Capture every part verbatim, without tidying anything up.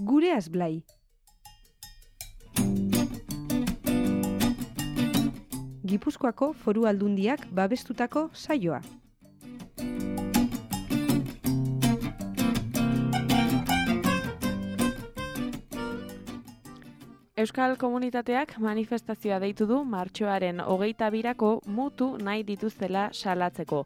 Gureaz Blai. Gipuzkoako Foru Aldundiak babestutako saioa. Euskal Komunitateak manifestazioa deitu du martxoaren hogeita birako mutu nahi dituztela salatzeko.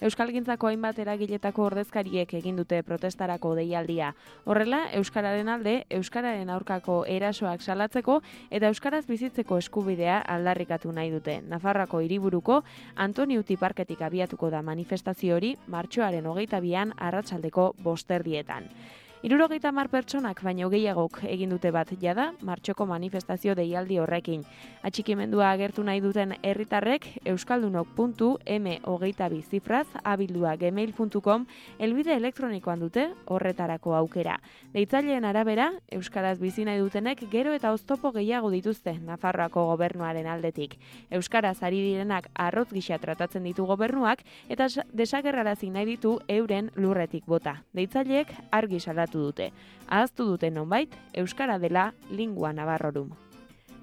Euskalgintzako hainbat eragiletako ordezkariek egin dute protestarako deialdia. Horrela, Euskararen alde, Euskararen aurkako erasoak salatzeko eta Euskaraz bizitzeko eskubidea aldarrikatu nahi dute. Nafarroako hiriburuko Antoniuti parketik abiatuko da manifestazio hori martxoaren hogeita bian arratsaldeko bosterdietan. Hirurogeita hamar pertsonak baino gehiagok egin dute bat jada martxoko manifestazio deialdi horrekin. Atxikimendua agertu nahi duten herritarrek euskaldunok puntu m hogeita bi zifraz abildua gmail puntu com helbide elektronikoan dute horretarako aukera. Deitzaileen arabera, euskaraz bizi nahi dutenek gero eta oztopo gehiago dituzte Nafarroako gobernuaren aldetik. Euskaraz ari direnak arrotz gisa tratatzen ditu gobernuak eta desagerrarazi nahi ditu euren lurretik bota. Deitzaileek argi salatu dute. Ahaztu dute nonbait, euskara dela lingua navarrorum.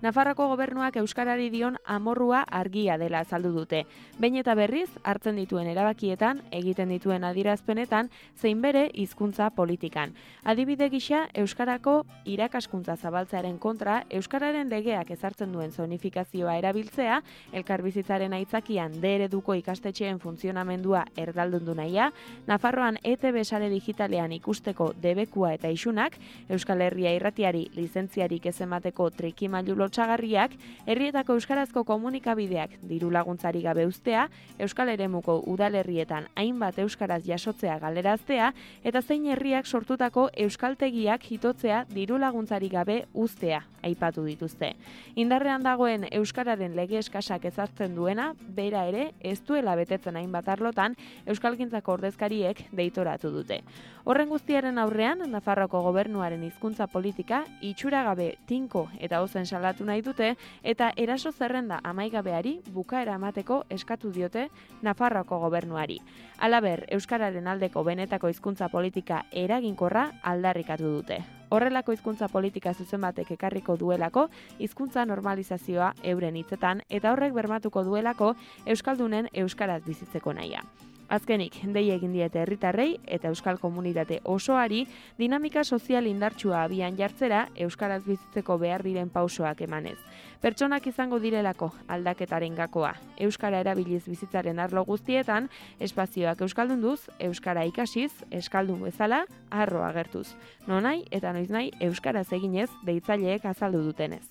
Nafarroako gobernuak euskarari dion amorrua argia dela azaldu dute. Behin eta berriz hartzen dituen erabakietan, egiten dituen adierazpenetan, zein bere hizkuntza politikan. Adibide gisa, euskarako irakaskuntza zabaltzearen kontra, euskararen legeak ezartzen duen zonifikazioa erabiltzea, elkarbizitzaren aitzakian D ereduko ikastetxeen funtzionamendua erdaldundu nahia, Nafarroan E T B sare digitalean ikusteko debekua eta isunak, Euskal Herria irratiari lizentziarik ez emateko trikimailu lotsagarriak, herrietako euskarazko komunikabideak diru laguntzari gabe uztea, Euskal Eremuko udalerrietan hainbat euskaraz jasotzea galeraztea eta zein herriak sortutako euskaltegiak hitotzea diru laguntzari gabe uztea aipatu dituzte. Indarrean dagoen euskararen lege eskasak ezartzen duena, bera ere ez duela betetzen hainbat arlotan euskalgintzako ordezkariek deitoratu dute. Horren guztiaren aurrean, Nafarroko gobernuaren hizkuntza politika itxuragabe tinko eta ozen salatu nahi dute eta eraso zerrenda amaigabeari bukaera emateko eskatu diote Nafarroako gobernuari. Halaber, euskararen aldeko benetako hizkuntza politika eraginkorra aldarrikatu dute. Horrelako hizkuntza politika zuzen batek ekarriko duelako hizkuntza normalizazioa euren hitzetan eta horrek bermatuko duelako euskaldunen euskaraz bizitzeko nahia. Azkenik, dei egin diete herritarrei eta euskal komunitate osoari dinamika sozial indartsua abian jartzera euskaraz bizitzeko behar diren pausoak emanez. Pertsonak izango direlako aldaketaren gakoa. Euskara erabiliz bizitzaren arlo guztietan, espazioak euskaldunduz, euskara ikasiz, euskaldun bezala, harro agertuz. Nonai eta noiznahi euskaraz eginez deitzaileek azaldu dutenez.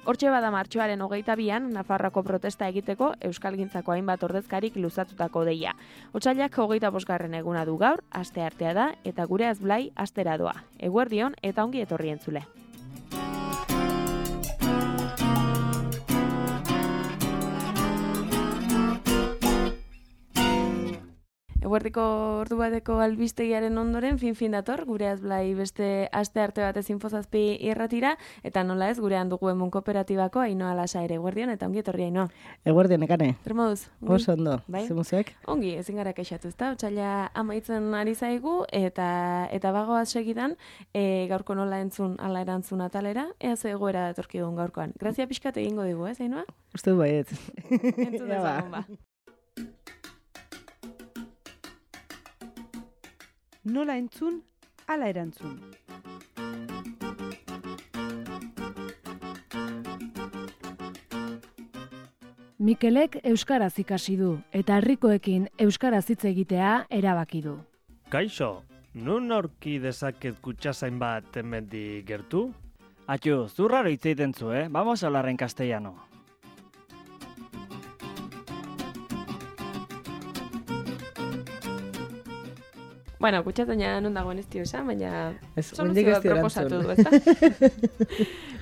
Hortxe bada martxoaren hogeita bian, Nafarroako protesta egiteko euskalgintzako hainbat ordezkarik luzatutako deia. Otsailak hogeita bosgarren eguna du gaur, asteartea da, eta Gureaz Blai astera doa. Eguerdion eta ongi etorri entzule. Eguerdiko ordu bateko albistegiaren ondoren fin-fin dator, Gureaz Blai beste aste arte batez infozazpi irratira, eta nola ez, gurean dugu emun kooperatibako Ainhoa Lasa ere. Eguerdion eta ongi etorri Ainhoa. Eguerdion, ekane. Zer moduz? Oso ondo, bai? Zemuziek? Ongi, ezin gara kexatu, ezta? Otsaila amaitzen ari zaigu, eta eta bagoaz segidan, e, gaurko nola entzun, ala erantzun atalera, ea ze egoera datorki dugun gaurkoan. Grazia pixkat egingo digu, ez, Ainhoa? Uste du baiet. Entzun dezagun ba. Nola entzun, ala erantzun. Mikelek euskaraz ikasi du eta herrikoekin euskaraz hitz egitea erabaki du. Kaixo, nun aurki dezaket kutxazain bat hemendik gertu? Atxu, zurraro hitz egiten zu, eh? Vamos a hablar en castellano. Bueno, kutxatzaina non dagoen ez dio esan, baina soluzioa proposatu du, ezta?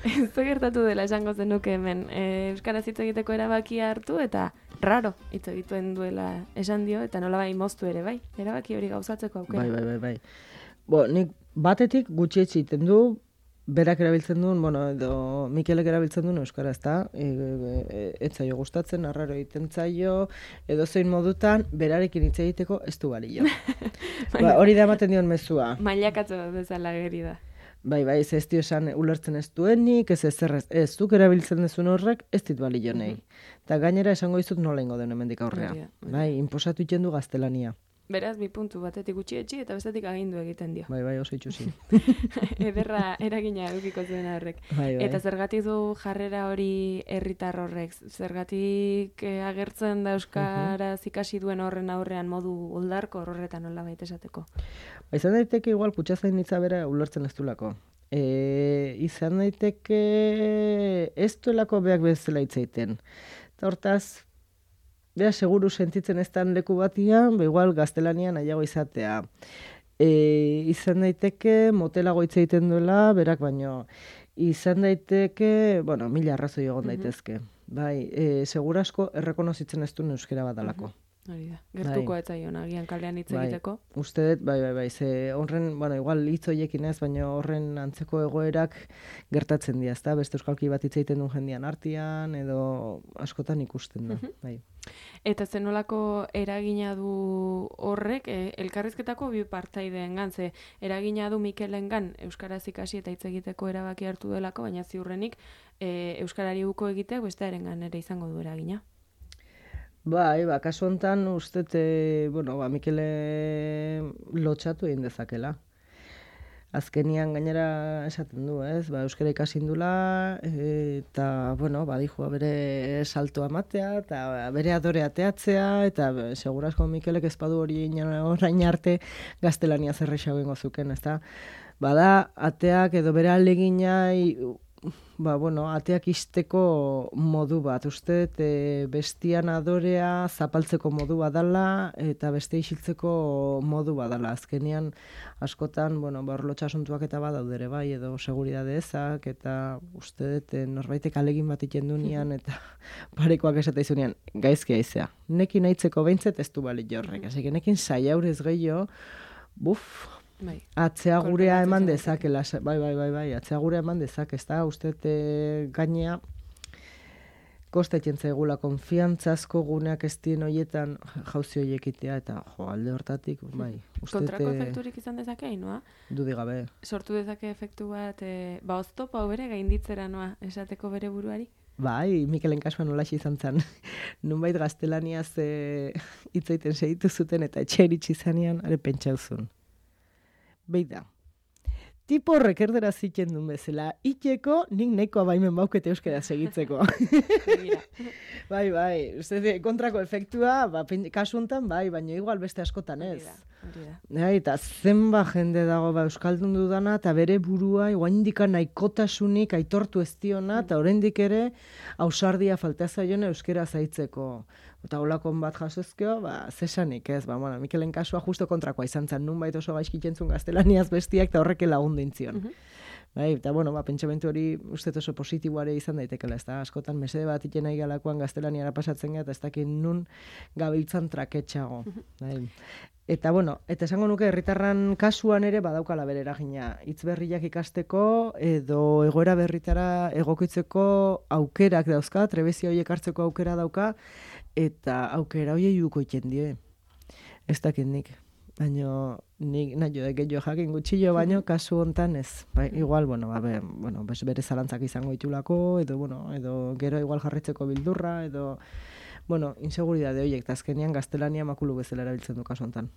Ez gertatu dela esango zenuke hemen e, euskaraz hitz egiteko erabakia hartu eta raro hitz egiten duela esan dio eta nolabai moztu ere, bai? Erabaki hori gauzatzeko aukera. Bai, bai, bai, bai. Bo, nik batetik gutxi egiten du, berak erabiltzen duen, bueno, edo Mikelek erabiltzen duen euskara, ezta? E, e, ez zaio gustatzen, arraro egiten zaio, edo zein modutan, berarekin hitz egiteko ez du balio. Ba, hori da ematen dion mezua. Mailakatzo bezala geri da. Bai, bai, ez ez dio esan ulertzen ez duenik, ez ez ez, ez zuk erabiltzen dezun horrek, ez dit balio nahi. Eta gainera esango dizut nola ingo den hemendik aurrea. Hori da, hori da. Bai, inposatu iten du gaztelania. Beraz, bi puntu batetik gutxietxi eta bestetik agindu egiten dio. Bai, bai, oso itxusi. Ederra eragina edukiko zuen horrek. Bai, bai. Eta zergatik du jarrera hori herritar horrek? Zergatik eh, agertzen da euskaraz ikasi duen horren aurrean modu oldarko horretan nola baita esateko? Ba, izan daiteke igual kutxazainitza bera ulertzen ez duelako. E, izan daiteke ez duelako beak bezala hitz egiten. Eta hortaz, bea seguru sentitzen ez dan leku batian, ba igual gaztelanian nahiago izatea. E, izan daiteke motelago hitz egiten duela, berak baino. Izan daiteke, bueno, mila arrazoi egon daitezke. Bai, e, segurasko errekonozitzen ez duen euskera badalako. Hori da, gertuko ez zaion, agian kalean hitz egiteko. Bai, uste dut, bai, bai, bai, ze horren, bueno, igual hitz horiekin ez, baina horren antzeko egoerak gertatzen dira, ezta? Beste euskalki bat hitz egiten duen jendian artean, edo askotan ikusten da, bai. Eta zenolako eragina du horrek, e, elkarrizketako bi partaideengan, ze eragina du Mikelengan euskaraz ikasi eta hitz egiteko erabaki hartu delako, baina ziurrenik e, euskarari uko egiteak bestearengan ere izango du eragina. Bai, ba, kasu honetan uste, e, bueno, ba, Mikele lotxatu egin dezakela. Azkenian gainera esaten du, ez? Ba, euskara ikasi indula, e, eta, bueno, badijua bere saltoa matea, eta bere adore ateatzea, eta be, segurazko Mikelek ez badu hori orain arte gaztelania zerrexago ingo zuken, ezta? Bada, ateak edo bere alegina, ba, bueno, ateak isteko modu bat, uste, e, bestian adorea zapaltzeko modu badala, eta beste isiltzeko modu badala. Azkenean, askotan, bueno, ba, orlotxa asuntuak eta badaudere bai, edo seguridade ezak, eta uste, e, norbaitek alegin bat iten dunean, eta parekoak esate izunean, gaizki aizea. Nekin aitzeko behintzet ez du bali jorrek, así que nekin saiaurez gehiago, buf, Bai. Atzea gurea eman dezakela, bai, bai, bai, bai, atzea gurea eman dezak, ez da, uste e, gainea, kostetzen zaigula, konfiantzazko guneak ez dien horietan jauzi horiek itea, eta jo, alde hortatik, bai. Kontrako efekturik izan dezake, noa? Dudi gabe. Sortu dezake efektu bat, e, ba, oztopa bere gainditzera, noa, esateko bere buruari? Bai, Mikelen kasuan nolaxe izan zen. Nunbait gaztelaniaz hitz egiten segitu zuten, eta etxe iritsi zanean, are pentsauzun. Beida, tipo horrek erdera zitzen duen bezala, iteko nik nahikoa baimen baukete euskara segitzeko. Bai, bai, uste, kontrako efektua, ba, kasu honetan, bai, baina igual beste askotan ez. Ja, eta zenba jende dago ba, euskaldun dudana, eta bere burua, oraindik nahikotasunik aitortu ez diona, eta oraindik ere ausardia falta zaiona euskara zaitzeko. Eta holakon bat jasozkeo, ba, zesanik ez, ba, bueno, Mikelen kasua justo kontrakoa izan zen, nunbait oso gaizkikentzun gaztelaniaz bestiak, eta horreke lagundu intzion. Uh -huh. Bai, eta, bueno, ba, pentsamentu hori uste oso positiboare izan daitekela, ez da, askotan mesede bat iten nahi galakoan gaztelaniara pasatzen gara, eta ez dakit nun gabiltzan traketxago. Uh -huh. Bai. Eta, bueno, eta esango nuke herritarran kasuan ere badaukala bere eragina. Hitz berriak ikasteko edo egoera berritara egokitzeko aukerak dauzka, trebezia horiek hartzeko aukera dauka, eta aukera horiei uko iten die. Ez dakit nik. Baina nik nahi da gehiago jakin gutxillo, baino kasu hontan ez. Ba, igual, bueno, ba, be, bueno, bere zalantzak izango ditulako, edo, bueno, edo gero igual jarritzeko bildurra, edo, bueno, inseguridade horiek, eta azkenean gaztelania makulu bezala erabiltzen du kasu hontan.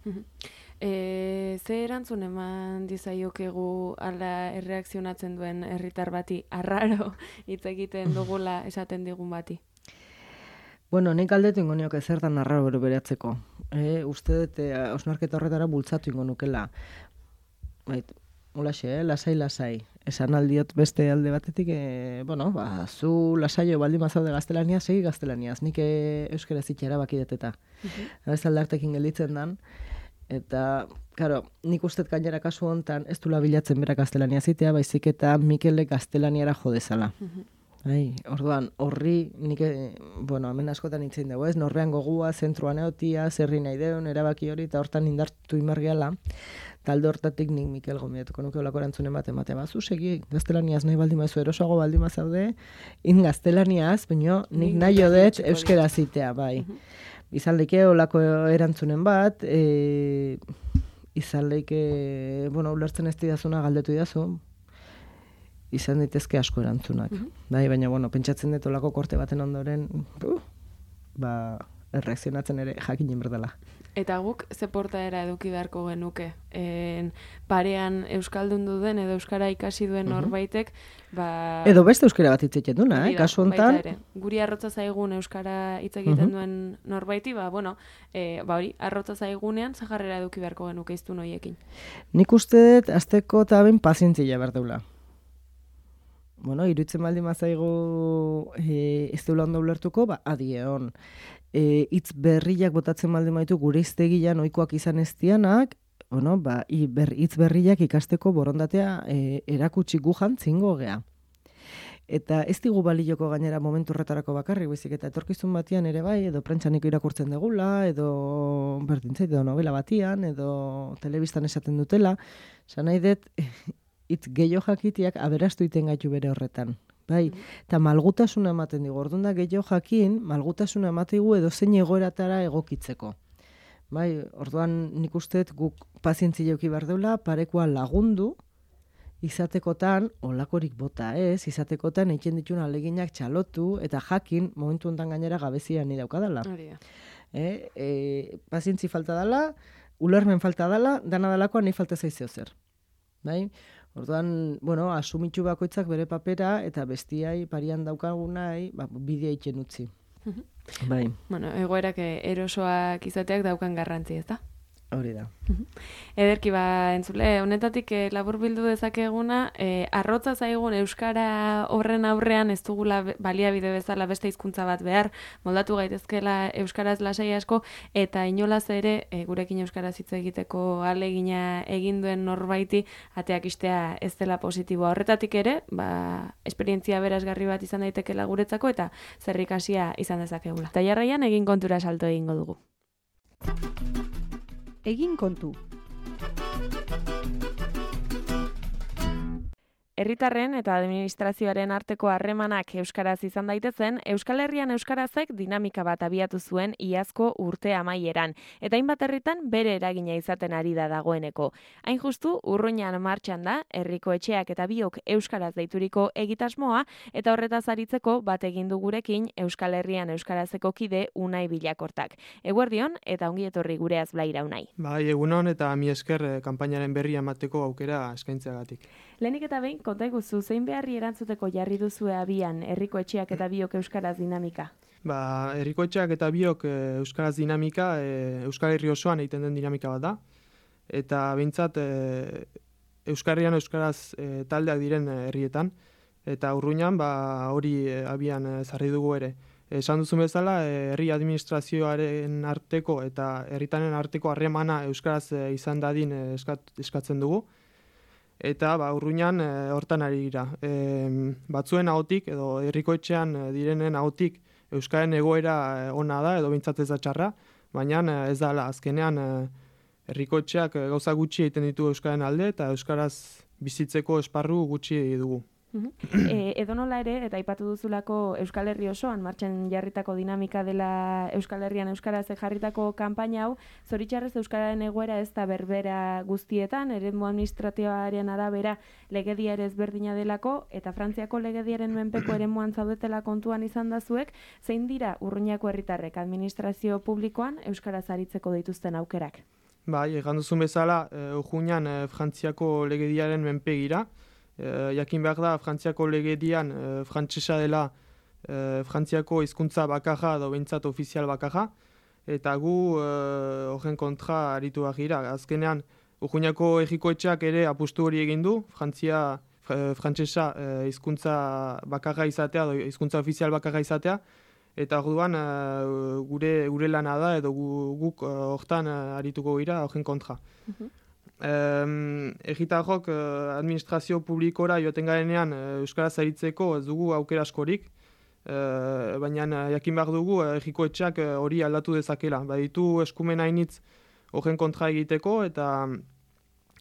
E, ze erantzun eman dizaiokegu ala erreakzionatzen duen herritar bati, arraro hitz egiten dugula esaten digun bati? Bueno, nik aldetu ingo nioke zertan arraro bero beratzeko. E, uste dut, e, osnarketa horretara bultzatu ingo nukela. Bait, ulaxe, eh? lasai, lasai. Esan aldiot beste alde batetik, e, bueno, ba, zu lasaio baldin mazaude gaztelania, segi gaztelaniaz. Nik e, euskara zitxera bakideteta. Uh -huh. Ez aldartekin gelditzen dan. Eta, karo, nik uste gainera kasu hontan ez dula bilatzen bera gaztelania zitea, baizik eta Mikele gaztelaniara jodezala. Uh -huh. Ai, orduan, horri, nik, bueno, hemen askotan hitzein dugu, ez? Norbean gogua, zentroan eotia, zerri nahi deun, erabaki hori, eta hortan indartu imargiala. Talde hortatik nik Mikel gombidatuko nuke olako erantzunen bat emate bazu, segi, gaztelaniaz nahi baldin mazu, erosoago baldin mazaude, in gaztelaniaz, baina nik nahi jodet euskera zitea, bai. Uh -huh. Izan leike olako erantzunen bat, e, izan leike, bueno, ulertzen ez didazuna galdetu didazu, izan daitezke asko erantzunak. Mhm. Bai, baina, bueno, pentsatzen dut olako korte baten ondoren, uh, ba, erreakzionatzen ere jakinen berdala. Eta guk ze portaera eduki beharko genuke. En, parean euskaldun duden edo euskara ikasi duen norbaitek, ba... Edo beste euskara bat hitz egiten duna, eh? Hori da, Kasu honetan, baita ere. Guri arrotza zaigun euskara hitz egiten Mhm. duen norbaiti, ba, bueno, e, ba hori, arrotza zaigunean, ze jarrera eduki beharko genuke iztun horiekin. nik uste dut azteko eta ben pazientzia behar deula. Bueno, iruditzen baldin mazaigu e, ez deula ondo ulertuko, ba, adie hon. E, hitz berriak botatzen baldin baitu gure hiztegian ohikoak izan ez dianak, bueno, ba, i- ber, hitz berriak ikasteko borondatea e, erakutsi gu jantzingo gea. Eta ez digu balioko gainera momentu horretarako bakarrik, baizik eta etorkizun batian ere bai, edo prentsanik irakurtzen degula, edo berdintzait, edo novela batian, edo telebistan esaten dutela, esan nahi dut, hitz gehiago jakitiak aberastu iten gaitu bere horretan. Bai, eta malgutasuna ematen digu, orduan da gehiago jakin, malgutasuna ematigu edo zein egoeratara egokitzeko. Bai, orduan nik uste dut guk pazientzia eduki behar deula, parekoa lagundu, izatekotan, olakorik bota ez, izatekotan egiten ditun aleginak txalotu, eta jakin, momentu honetan gainera gabezia ni daukadala. Hori da. Eh, e, pazientzi falta dela, ulermen falta dela, dana delakoan nahi falta zaizeo zer. Bai? Orduan, bueno, asumitxu bakoitzak bere papera, eta bestiai parian daukagunai, ba, bidea egiten utzi. Bai, Bueno, egoerak eh, erosoak izateak daukan garrantzi, ez da? hori da. Ederki ba, entzule, honetatik eh, labur bildu dezakeguna, eh, arrotza zaigun euskara horren aurrean ez dugula be- baliabide bezala beste hizkuntza bat behar, moldatu gaitezkela euskaraz lasai asko, eta inolaz ere eh, gurekin euskaraz hitz egiteko ahalegina egin duen norbaiti ateak istea ez dela positiboa. Horretatik ere, ba, esperientzia berazgarri bat izan daitekela guretzako eta zerrikasia izan dezakegula. Eta jarraian egin kontura salto egingo dugu. Egin kontu. Herritarren eta administrazioaren arteko harremanak euskaraz izan daitezen, Euskal Herrian euskarazek dinamika bat abiatu zuen iazko urte amaieran, eta hainbat herritan bere eragina izaten ari da dagoeneko. Hain justu, Urruñan martxan da, herriko etxeak eta biok euskaraz deituriko egitasmoa, eta horretaz aritzeko bat egin du gurekin Euskal Herrian euskarazeko kide Unai Bilakortak. Eguerdion eta ongi etorri gureaz Blaira Unai. Bai, egunon eta mi esker eh, kanpainaren berri emateko aukera eskaintzeagatik. Lehenik eta behin, konta iguzu, zein beharri erantzuteko jarri duzue abian herriko etxeak eta biok euskaraz dinamika? Ba, herriko etxeak eta biok eh, euskaraz dinamika, eh, Euskal Herri osoan egiten den dinamika bat da. Eta behintzat eh, Euskal Herrian euskaraz eh, taldeak diren eh, herrietan. Eta Urruñan ba, hori eh, abian eh, zarri dugu ere. Esan duzun bezala, eh, herri administrazioaren arteko eta herritanen arteko harremana euskaraz eh, izan dadin eh, eskat, eskatzen dugu. Eta ba, Urruñan e, hortan ari dira. E, batzuen ahotik edo herriko etxean e, direnen ahotik euskaren egoera e, ona da edo behintzat ez da txarra, baina e, ez da ala. Azkenean e, herriko etxeak e, gauza gutxi egiten ditu euskaren alde eta euskaraz bizitzeko esparru gutxi dugu. E, edonola ere, eta aipatu duzulako Euskal Herri osoan martxan jarritako dinamika dela Euskal Herrian euskaraz jarritako kanpaina hau, zoritxarrez euskararen egoera ez da berbera guztietan, eremu administratioaren arabera legedia ere ezberdina delako, eta Frantziako legediaren menpeko eremuan zaudetela kontuan izan dazuek, zein dira Urruñako herritarrek administrazio publikoan euskaraz aritzeko dituzten aukerak? Bai, egan duzun bezala, e, Urruñan e, Frantziako legediaren menpegira, E, jakin behar da, Frantziako legedian e, frantsesa dela e, Frantziako hizkuntza bakarra edo behintzat ofizial bakarra, eta gu e, horren kontra aritu behar gira. Azkenean, Urruñako herriko etxeak ere apustu hori egin du, Frantzia, e, frantsesa e, hizkuntza bakarra izatea edo hizkuntza ofizial bakarra izatea, eta orduan e, gure, gure lana da edo gu, guk e, hortan e, arituko gira horren kontra. Um, Egitarrok uh, administrazio publikora joaten garenean uh, euskaraz aritzeko ez dugu aukera askorik, uh, baina uh, jakin behar dugu uh, herriko etxeak uh, hori aldatu dezakela. Baditu eskumen hainitz horren kontra egiteko eta um,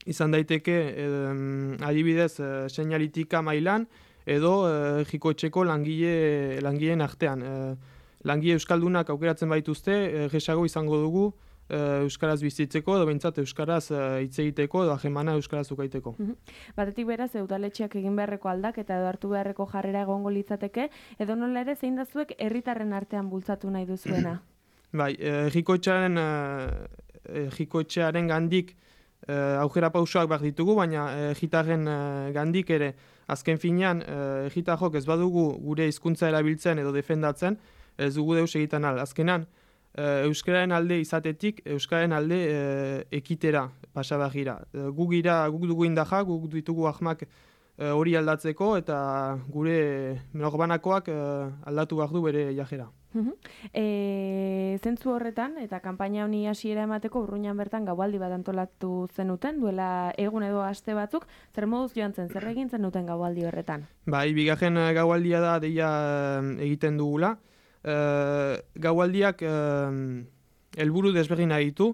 izan daiteke um, adibidez uh, seinalitika mailan edo uh, herriko etxeko langile, langileen artean. Uh, langile euskaldunak aukeratzen baituzte, uh, gehiago izango dugu euskaraz bizitzeko, edo behintzat euskaraz hitz egiteko, edo ahemana euskaraz ukaiteko. Batetik beraz, udaletxeak egin beharreko aldaketa edo hartu beharreko jarrera egongo litzateke, edo nola ere zein da zuek herritarren artean bultzatu nahi duzuena? Bai, errikoetxearen errikoetxearen gandik aukera pausoak behar ditugu, baina egitarren gandik ere azken finean egitarjok ez badugu gure hizkuntza erabiltzen edo defendatzen, ez dugu deus egiten al. Azkenan, euskararen alde izatetik, euskararen alde ekitera pasabagira. Guk gira, guk dugu indaja, guk ditugu ahmak hori aldatzeko eta gure norbanakoak aldatu behar du bere jajera. E, zentzu horretan, eta kanpaina honi hasiera emateko Urruñan bertan gaualdi bat antolatu zenuten, duela egun edo aste batzuk, zer moduz joan zen, zer egin zenuten gaualdi horretan? Bai, bigarren gaualdia da deia egiten dugula. Uh, gaualdiak uh, helburu desberdina ditu.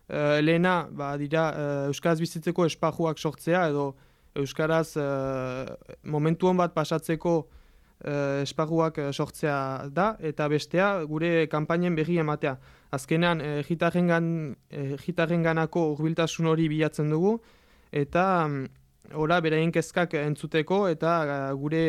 Uh, lehena, ba, dira, uh, euskaraz bizitzeko espajuak sortzea, edo euskaraz uh, momentu hon bat pasatzeko uh, espajuak sortzea da, eta bestea gure kanpainen berri ematea. Azkenean, egitarren ganako hurbiltasun hori bilatzen dugu, eta um, ora beraien kezkak entzuteko, eta uh, gure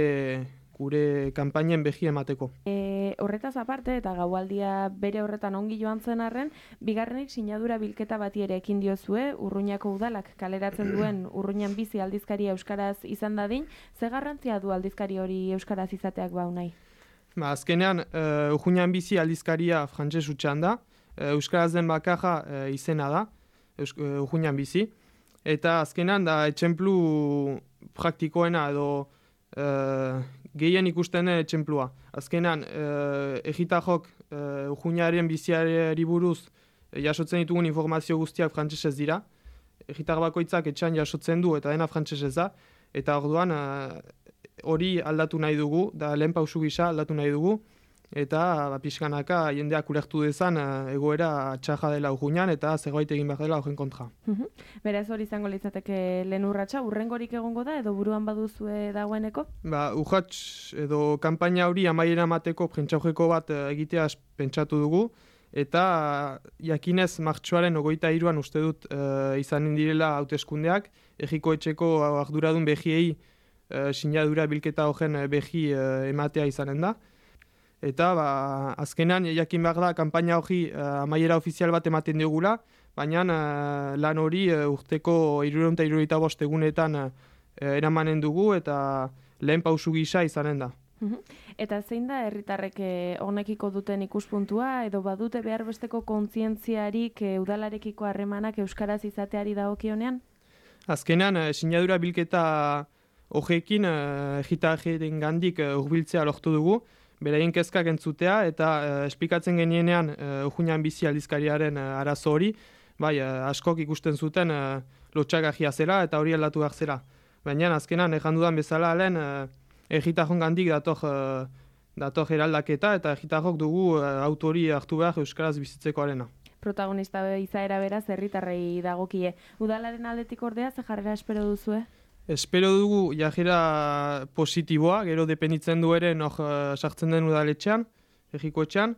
gure kanpainen behi emateko. E, horretaz aparte, eta gaualdia bere horretan ongi joan zen arren, bigarrenik sinadura bilketa bati ere ekin diozue, Urruñako udalak kaleratzen duen Urruñan bizi aldizkaria euskaraz izan dadin, ze garrantzia du aldizkari hori euskaraz izateak bau nahi? Ba, azkenean, uh, Urruñan bizi aldizkaria frantses hutsan da, uh, euskaraz den bakarra uh, izena da, uh, Urruñan bizi, eta azkenean da etxemplu praktikoena edo uh, gehien ikusten den etxemplua. Azkenan, eh, egitajok eh, Urruñaren biziari buruz eh, jasotzen ditugun informazio guztiak frantsesez dira. Egitar bakoitzak etxean jasotzen du eta dena frantsesez da. Eta orduan hori aldatu nahi dugu, da lehen pausu gisa aldatu nahi dugu. Eta ba, pixkanaka jendeak ulertu dezan egoera txarra dela Urruñan eta zerbait egin behar dela horren kontra. Beraz hori izango litzateke lehen urratsa, urrengorik egongo da edo buruan baduzue dagoeneko? Ba, urrats edo kanpaina hori amaiera emateko prentsaurreko bat egitea pentsatu dugu, eta jakinez martxoaren ogoita hiruan uste dut e, izanen direla hauteskundeak, errikoetxeko arduradun behiei e, sinadura bilketa horren behi e, ematea izanen da. Eta ba, azkenan jakin behar da kanpaina hori uh, amaiera ofizial bat ematen digula, baina uh, lan hori uh, urteko hirurehun eta hirurogeita bost egunetan uh, eramanen dugu eta lehen pausu gisa izanen da. Eta zein da herritarrek honekiko duten ikuspuntua edo badute behar besteko kontzientziarik uh, udalarekiko harremanak euskaraz izateari dagokionean? Azkenan uh, sinadura bilketa horrekin uh, egitarren gandik uh, hurbiltzea lortu dugu, beraien kezkak entzutea eta uh, esplikatzen genienean uh, Urruñan bizi aldizkariaren uh, arazo hori, bai, uh, askok ikusten zuten uh, lotxagarria zela eta hori aldatu behar zela. Baina azkenan ejan dudan bezala lehen uh, egitarron gandik dator, uh, dator eraldaketa eta egitarrok dugu uh, autori hartu behar euskaraz bizitzekoarena. Protagonista izaera beraz herritarrei dagokie. Udalaren aldetik ordea ze jarrera espero duzue? Espero dugu jajera positiboa, gero dependitzen du ere nor uh, sartzen den udaletxean, egikoetxean,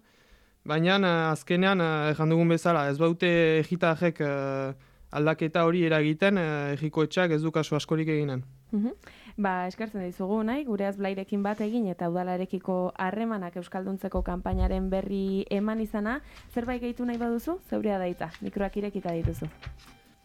baina uh, azkenean, uh, ejan dugun bezala, ez baute egitarrek uh, aldaketa hori eragiten, uh, egikoetxeak ez du kasu askorik eginen. Uh-huh. Ba, eskertzen dizugu nahi, gure azblairekin bat egin eta udalarekiko harremanak euskalduntzeko kanpainaren berri eman izana, zerbait gehitu nahi baduzu, zeurea daita, mikroak irekita dituzu.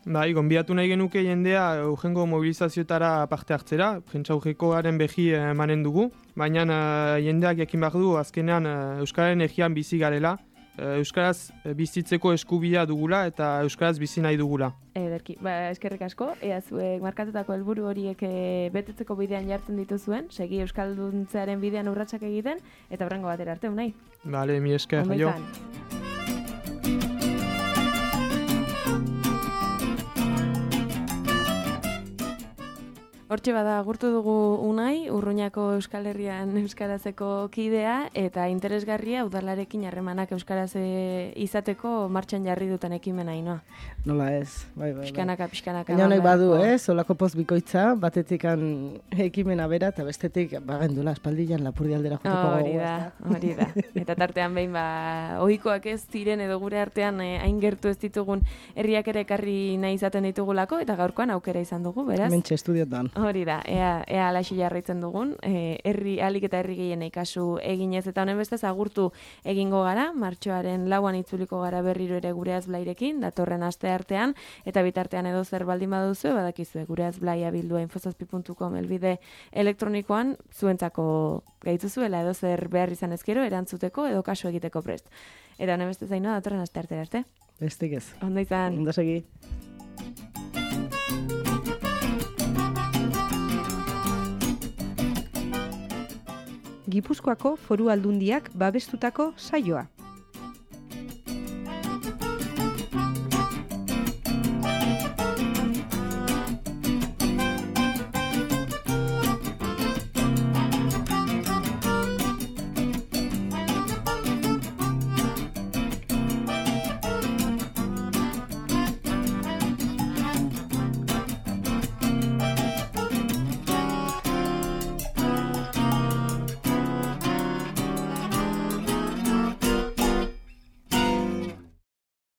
Bai, gonbidatu nahi genuke jendea urrengo mobilizazioetara parte hartzera, prentsaurrekoaren behi emanen dugu, baina uh, jendeak jakin behar du azkenean uh, Euskararen egian bizi garela, uh, Euskaraz bizitzeko eskubidea dugula eta Euskaraz bizi nahi dugula. Ederki, ba, eskerrik asko, ea zuek markatutako helburu horiek e, betetzeko bidean jartzen dituzuen, segi Euskalduntzearen bidean urratsak egiten, eta horrengo batera arte, unai. Bale, mi esker, jo. Hortxe bada agurtu dugu Unai, Urruñako Euskal Herrian euskarazeko kidea, eta interesgarria udalarekin harremanak euskaraz izateko martxan jarri duten ekimena inoa. Nola ez, bai, bai, bai. Pixkanaka, pixkanaka. Baina honek badu, eh, solako poz bikoitza, batetik ekimena bera, eta bestetik, bagendula, espaldian lapurdi aldera joteko hori da, hori da. Eta tartean behin, ba, ohikoak ez ziren edo gure artean eh, hain gertu ez ditugun herriak ere ekarri nahi izaten ditugulako, eta gaurkoan aukera izan dugu, beraz. Mentxe estudiotan. Hori da, ea, ea alaxi jarraitzen dugun, e, herri alik eta herri gehienei kasu eginez, eta honen bestez agurtu egingo gara, martxoaren lauan itzuliko gara berriro ere Gure Azblairekin, datorren aste artean, eta bitartean edo zer baldin baduzu, badakizue, Gure Azblaia bildua infozazpi puntu com elbide elektronikoan, zuentzako gaituzuela edo zer behar izan ezkero, erantzuteko edo kasu egiteko prest. Eta honen bestez zainoa, datorren aste artera arte. Bestik ez. Ondo izan. Ondo segi. Gipuzkoako Foru Aldundiak babestutako saioa.